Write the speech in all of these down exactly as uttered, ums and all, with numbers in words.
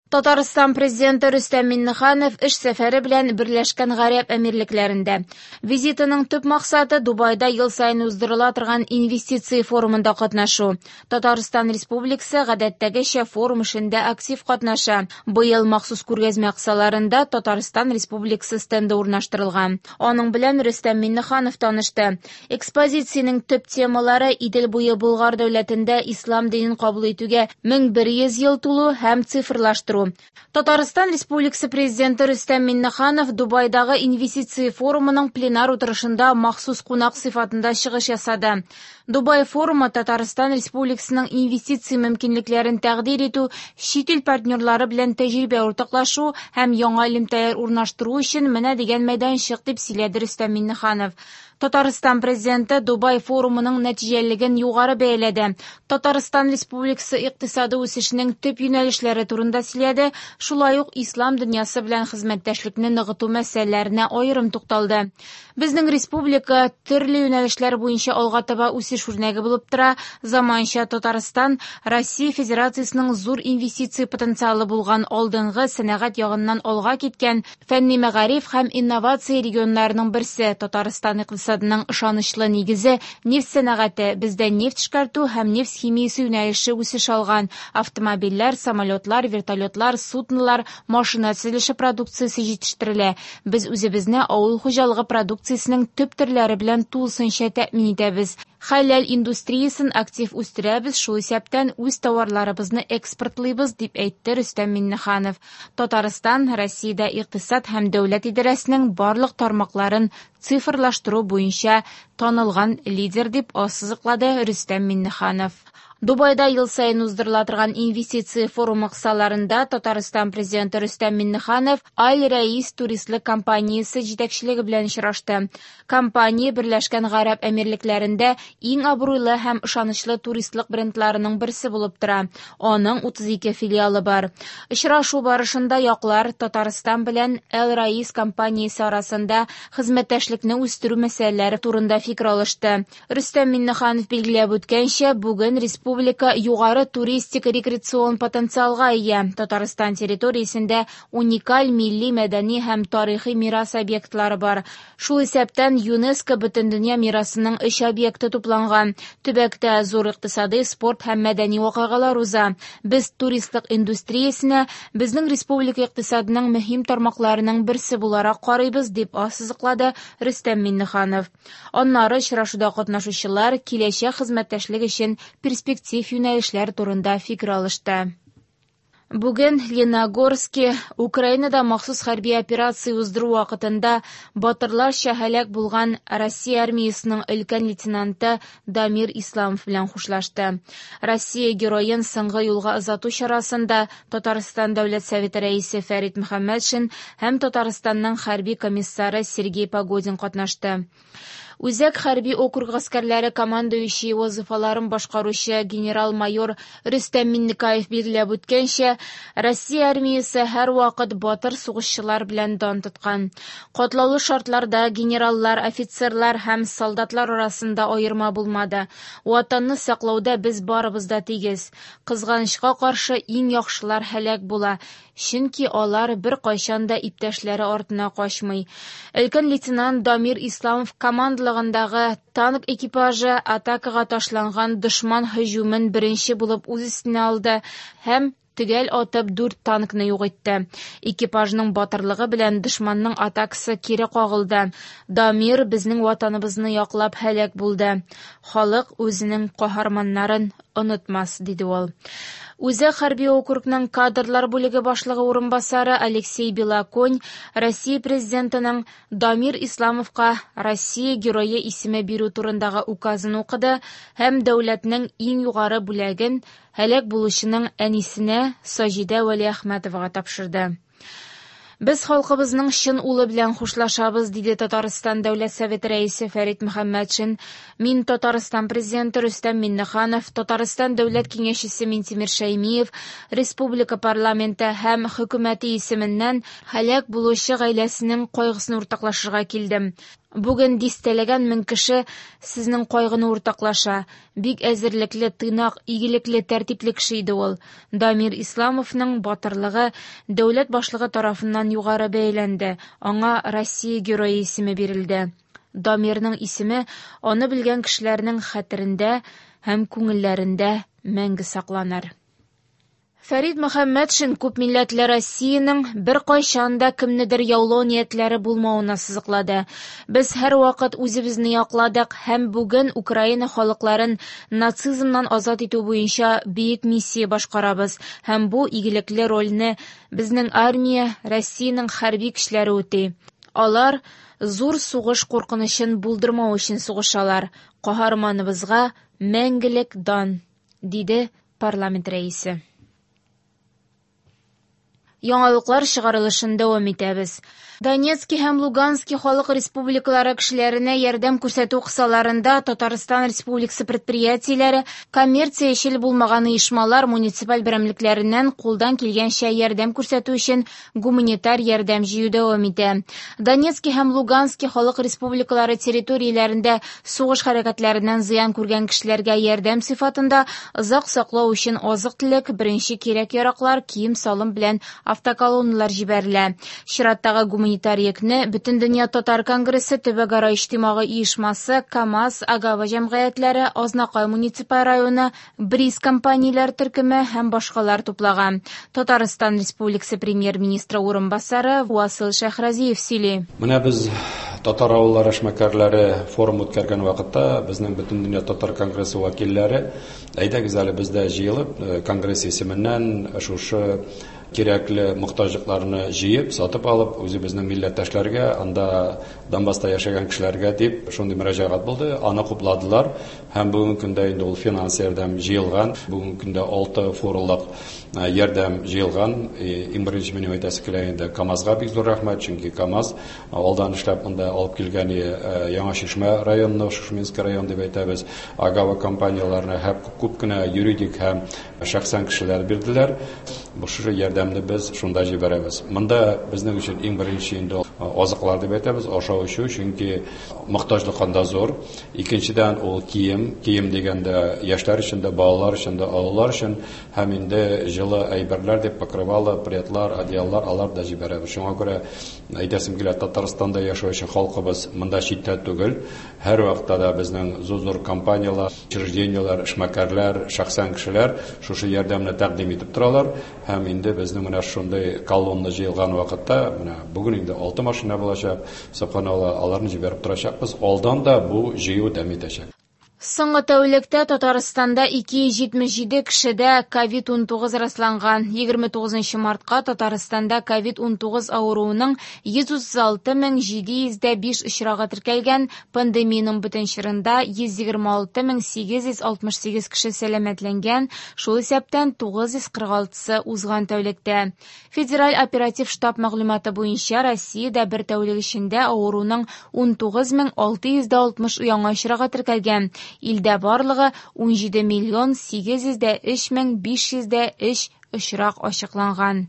Татарстан Президенты Рөстәм Миңнеханов эш сәфәре белән Берләшкән Гарәп Әмирлекләрендә. Визитының төп максаты Дубайда ел саен уздырыла торган инвестиция форумында катнашу. Татарстан Республикасы гадәттәгечә форум эшендә актив катнаша. Быел махсус күргәзмә кысаларында Татарстан Республикасы стенды урнаштырылган. Аның белән Рөстәм Миңнеханов танышты. Экспозициянең төп темалары Идел буе Болгар дәүләтендә ислам динен кабул итүгә мең бер йөз ел тулу һәм цифрлаштыру. Татарстан Республикасы Президенты Рөстәм Миңнеханов Дубайдагы инвестиция форумының пленар утырышында махсус кунак сыйфатында чыгыш ясады. Дубай форумы Татарстан Республикасының инвестиция мөмкинлекләрен тәкъдир итү, чит ил партнерлары белән тәҗрибә уртаклашу һәм яңа элемтәләр урнаштыру өчен менә дигән мәйданчык, дип сөйләде Рөстәм Миңнеханов. Татарстан Президенты Дубай форумының нәтиҗәлелеген югары бәяләде. Татарстан Республикасы икътисады үсешенең төп юнәлешләре турында сөйләде, шулай ук ислам дөньясы белән хезмәттәшлекне ныгыту мәсьәләләренә аерым тукталды. Безнең республика төрле юнәлешләр буенча алга таба үсеш үрнәге булып тора. Заманча Татарстан Россия Федерациясенең зур инвестиция потенциалы булган алдынгы сәнәгать ягыннан алга киткән фәнни мәгариф һәм инновация регионнарының берсе. Татарстан икътисадының ышанычлы нигезе нефть сәнәгате, бездә нефть эшкәртү һәм нефть химиясе юнәлеше үсеш алган. Автомобильләр, самолетлар, вертолетлар, суднолар, машина төзелеше продукциясе җитештерелә. Без үзебезне авыл хуҗалыгы продукциясенең төп төрләре белән тулысынча тәэмин итәбез. Хәләл индустриясен актив үстерәбез, шул исәптән үз товарларыбызны экспортлыйбыз, дип әйтте Рөстәм Миңнеханов. Татарстан Россиядә икътисад һәм дәүләт идарәсенең барлык тармакларын цифрлаштыру буенча танылган лидер, дип ассызыклады Рөстәм Миңнеханов. Дубайда ел саен уздырыла торган инвестиция форумы кысаларында Татарстан Президенты Рөстәм Миңнеханов Аль-Раис туристлык компаниясе җитәкчелеге белән очрашты. Компания Берләшкән Гарәп Әмирлекләрендә иң абруйлы һәм ышанычлы туристлык брендларының берсе булып тора. Аның утыз ике филиалы бар. Очрашу барышында яклар Татарстан белән Аль-Раис компаниясе арасында хезмәттәшлекне үстерү мәсьәләләре турында фикер алышты. Рөстәм Миңнеханов билгеләп үткәнчә, бүген республика Республика югары туристик рекреацион потенциалга ия. Татарстан территориясендә уникаль милли, мәдәни һәм тарихи мирас объектлары бар. Шул исәптән ЮНЕСКО Бөтендөнья мирасының өч объекты тупланган. Төбәктә зур икътисади, спорт һәм мәдәни вакыйгалар уза. Без туристлык индустриясенә безнең республика икътисадының мөһим тармакларының берсе буларак карыйбыз, дип ассызыклады Рөстәм Миңнеханов. Аннары очрашуда катнашучылар киләчәк хезмәттәшлек өчен перспектив юнәлешләр турында фикер алышты. Бүген Леногорске Украинада махсус хәрби операция уздыру вакытында батырларча һәлак булган Россия армиясының өлкән лейтенанты Дамир Исламов белән хушлашты. Россия героен соңгы юлга озату чарасында Татарстан Дәүләт Советы рәисе Фәрит Мөхәммәтшин һәм Татарстанның хәрби комиссары Сергей Погодин катнашты. Үзәк хәрби округ гаскәрләре командующий вазифаларын башкаручы генерал-майор Рөстәм Миннекаев билгеләп үткәнчә, Россия армиясе һәрвакыт батыр сугышчылар белән дан тоткан. Катлаулы шартларда генераллар, офицерлар һәм солдатлар арасында аерма булмады. Ватанны саклауда без барыбыз да тигез. Кызганычка каршы иң яхшылар һәлак була, чөнки алар беркайчан да иптәшләре артына качмый. Өлкән лейтенант Дамир Исламов командалыгындагы танк экипажы атакага ташланган дошман һөҗүмен беренче булып үз өстенә алды һәм төгәл атып дүрт танкны юк итте. Экипажның батырлыгы белән дошманның атакасы кире кагылды. Дамир безнең ватаныбызны яклап һәлак булды. Халык үзенең каһарманнарын онытмас, диде ул. Үзәк хәрби округның кадрлар бүлеге башлыгы урынбасары Алексей Белоконь Россия президентының Дамир Исламовка Россия герое исеме бирү турындагы указын укыды һәм дәүләтнең иң югары бүләген һәлак булучының әнисенә Саҗидә Вәлиәхмәтовага тапшырды. Без халкыбызның чын улы белән хушлашабыз, диде Татарстан Дәүләт Советы рәисе Фәрит Мөхәммәтшин. Мин Татарстан президенты Рөстәм Миңнеханов, Татарстан Дәүләт Киңәшчесе Минтимер Шәймиев, Республика парламенты һәм хөкүмәте исеменнән һәлак булучы гаиләсенең кайгысын уртаклашырга килдем. Бүген дистәләгән мең кеше сезнең кайгыны уртаклаша. Бик әзерлекле, тыйнак, игелекле, тәртипле кеше иде ул. Дамир Исламовның батырлыгы дәүләт башлыгы тарафыннан югары бәяләнде. Аңа Россия Герое исеме бирелде. Дамирның исеме аны белгән кешеләрнең хәтерендә һәм күңелләрендә мәңге сакланыр. Фәрит Мөхәммәтшин күпмилләтле Россиянең беркайчан да кемнедер яулау ниятләре булмавын ассызыклады. Без һәрвакыт үзебезне якладык һәм бүген Украина халыкларын нацизмнан азат итү буенча бөек миссия башкарабыз һәм бу игелекле рольне безнең армия, Россиянең хәрби көчләре үти. Алар зур сугыш куркынычын булдырмау өчен сугышалар. Каһарманыбызга мәңгелек дан, диде парламент рәисе. Яңалыклар чыгарылышын дәвам итәбез. Донецки һәм Лугански халык республикалары кешеләренә ярдәм күрсәтү кысаларында Татарстан Республикасы предприятиеләре, коммерциячел булмаган оешмалар муниципаль берәмлекләреннән кулдан килгәнчә ярдәм күрсәтү өчен гуманитар ярдәм җыю дәвам итә. Донецки һәм Лугански халык республикалары территорияләрендә сугыш хәрәкәтләреннән зыян күргән кешеләргә ярдәм сыйфатында озак саклау өчен азык-төлек, беренче кирәк-яраклар, кием-салым белән автоколонналар җибәрелә. Чираттагы гуманитар йөкне Бөтендөнья татар конгрессы, Төбәкара иҗтимагый оешмасы, КАМАЗ, Агава җәмгыятьләре, Азнакай муниципаль районы, Бриз компанияләр төркеме һәм башкалар туплаган. Татарстан Республикасы премьер-министры урынбасары Васил Шәһразиев сөйли. Менә без татар авыллары эшмәкәрләре форум үткәргән вакытта безнең Бөтендөнья татар конгрессы вәкилләре әйдәгез әле бездә җыелып конгресс исеменнән шушы кирәкле мохтаҗлыкларны җыеп, сатып алып, үзебезнең милләттәшләргә, анда Донбасста яшәгән кешеләргә дип шундый мөрәҗәгать булды. Аны хупладылар һәм бүгенге көндә инде ул финанс ярдәм җыелган. Бүгенге көндә алты форумлык ярдәм җыелган. Иң беренче минем әйтәсе килә инде КАМАЗга бик зур рәхмәт, чөнки КАМАЗ алдан эшләп монда алып килгән Яңа Чишмә районына, Шушминский район дип әйтәбез, Агава компанияләренә һәм күп кенә юридик һәм шәхсән кешеләр бирделәр. Бу шушы ярдәмне без шунда җибәрәбез. Монда безнең өчен иң беренче инде азыклар дип әйтәбез, ашау эчү, чөнки мохтаҗлык анда зур. Икенчедән ул кием, кием дигәндә яшьләр өчен дә, балалар өчен дә, олылар өчен һәм инде җылы әйберләр дип покрывало, пледлар, одеяллар алар да җибәрәбез. Шуңа күрә әйтәсем килә, Татарстанда яшәүче халкыбыз монда читтә түгел. Һәр вакытта да безнең зур-зур компанияләр, учреждениеләр, эшмәкәрләр, шәхсән кешеләр шушы ярдәмне тәкъдим итеп торалар. Һәм инде безнең менә шундый колонна җыелган вакытта, менә бүген инде алты машина булачак, субханалла, аларны җибәреп торачакбыз. Алдан да бу җыю дәвам итәчәк. Соңгы тәүлектә Татарстанда ике йөз җитмеш җиде кешедә ковид унтугыз расланган. егерме тугызынчы мартка Татарстанда ковид унтугыз авыруының йөз утыз алты мең җиде йөз дә биш очрагы теркәлгән. Пандемиянең бөтен чорында йөз егерме алты мең сигез йөз алтмыш сигез кеше сәламәтләнгән, шул исәптән тугыз йөз кырык алтысы узган тәүлектә. Федераль оператив штаб мәгълүматы буенча Россиядә бер тәүлек эчендә авыруның унтугыз мең алты йөз дә алтмыш яңа очрагы теркәлгән. Илдә барлыгы ун җиде миллион сигез йөз дә өч мең биш йөз дә өч очрак ачыкланган.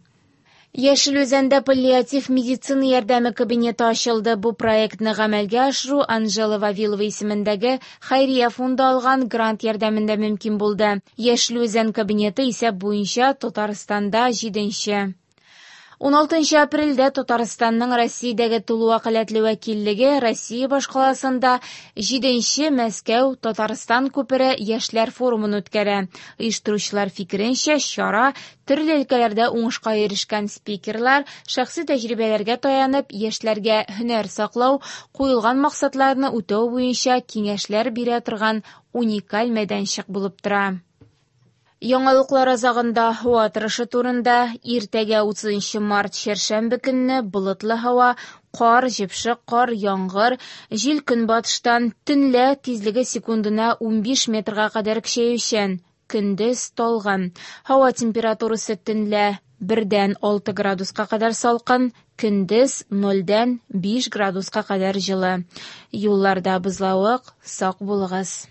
Яшел Үзәндә паллиатив медицина ярдәме кабинеты ачылды. Бу проектны гамәлгә ашыру Анжела Вавилова исемендәге хәйрия фонды алган грант ярдәмендә мөмкин булды. Яшел Үзән кабинеты исәп буенча Татарстанда җиденче. Уналтынчы апрельдә Татарстанның Россиядәге тулы вәкаләтле вәкиллеге Россия башкаласында җиденче Мәскәү Татарстан күпере яшьләр форумын үткәрә. Оештыручылар фикеренчә, чара төрле өлкәләрдә уңышка ирешкән спикерлар шәхси тәҗрибәләргә таянып, яшьләргә һөнәр саклау, куелган максатларны үтәү буенча киңәшләр бирә торган уникаль мәйданчык булып тора. Яңалыклар азагында һава торышы турында. Иртәгә утызынчы март чәршәмбе көнне болытлы һава, кар, җепшек кар, яңгыр, җил көнбатыштан, төнлә тизлеге секундына унбиш метрга кадәр көчәючән, көндез талгын. Һава температурасы төнлә бердән алты градуска кадәр салкын, көндез нольдән биш градуска кадәр җылы. Юлларда бозлавык, сак булыгыз.